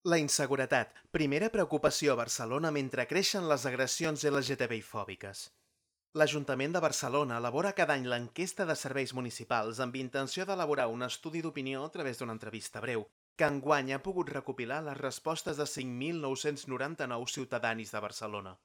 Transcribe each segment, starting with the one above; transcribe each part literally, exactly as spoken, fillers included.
La inseguretat, primera preocupació a Barcelona mentre creixen les agressions L G T B I-fòbiques. L'Ajuntament de Barcelona elabora cada any l'enquesta de serveis municipals amb intenció d'elaborar un estudi d'opinió a través d'una entrevista breu, que enguany ha pogut recopilar les respostes de cinc mil nou-cents noranta-nou ciutadans de Barcelona.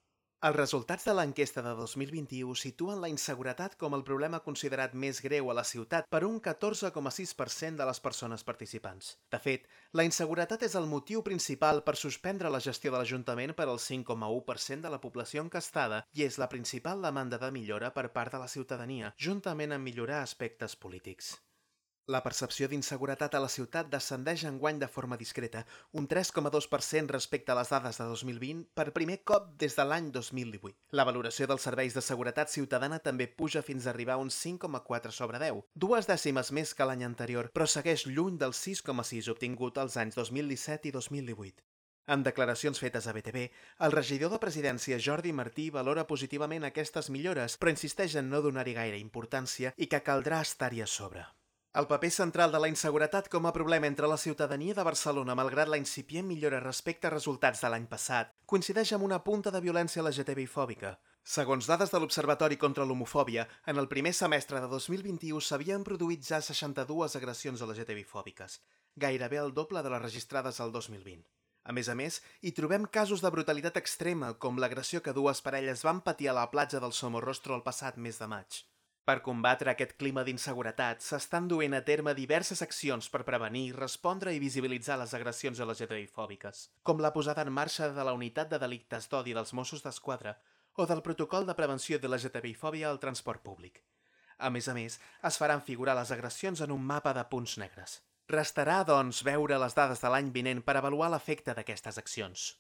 Els resultats de l'enquesta de dos mil vint-i-u situen la inseguretat com el problema considerat més greu a la ciutat per un catorze coma sis per cent de les persones participants. De fet, la inseguretat és el motiu principal per suspendre la gestió de l'Ajuntament per al cinc coma u per cent de la població encastada i és la principal demanda de millora per part de la ciutadania, juntament amb millorar aspectes polítics. La percepció d'inseguretat a la ciutat descendeix enguany de forma discreta, un tres coma dos per cent respecte a les dades de dos mil vint, per primer cop des de l'any dos mil divuit. La valoració dels serveis de seguretat ciutadana també puja fins a arribar a un cinc coma quatre sobre deu, dues dècimes més que l'any anterior, però segueix lluny del sis coma sis obtingut als anys dos mil disset i dos mil divuit. En declaracions fetes a B T V, el regidor de Presidència Jordi Martí valora positivament aquestes millores, però insisteix en no donar-hi gaire importància i que caldrà estar-hi a sobre. El paper central de la inseguretat com a problema entre la ciutadania de Barcelona, malgrat la incipient millora respecte a resultats de l'any passat, coincideix amb una punta de violència L G T B I-fòbica. Segons dades de l'Observatori contra l'Homofòbia, en el primer semestre de dos mil vint-i-u s'havien produït ja seixanta-dues agressions L G T B I-fòbiques, gairebé el doble de les registrades al dos mil vint. A més a més, hi trobem casos de brutalitat extrema, com l'agressió que dues parelles van patir a la platja del Somorrostro el passat mes de maig. Per combatre aquest clima d'inseguretat, s'estan duent a terme diverses accions per prevenir, respondre i visibilitzar les agressions L G T B I-fòbiques, com la posada en marxa de la Unitat de Delictes d'Odi dels Mossos d'Esquadra o del Protocol de Prevenció de L G T B I-fòbia al transport públic. A més a més, es faran figurar les agressions en un mapa de punts negres. Restarà, doncs, veure les dades de l'any vinent per avaluar l'efecte d'aquestes accions.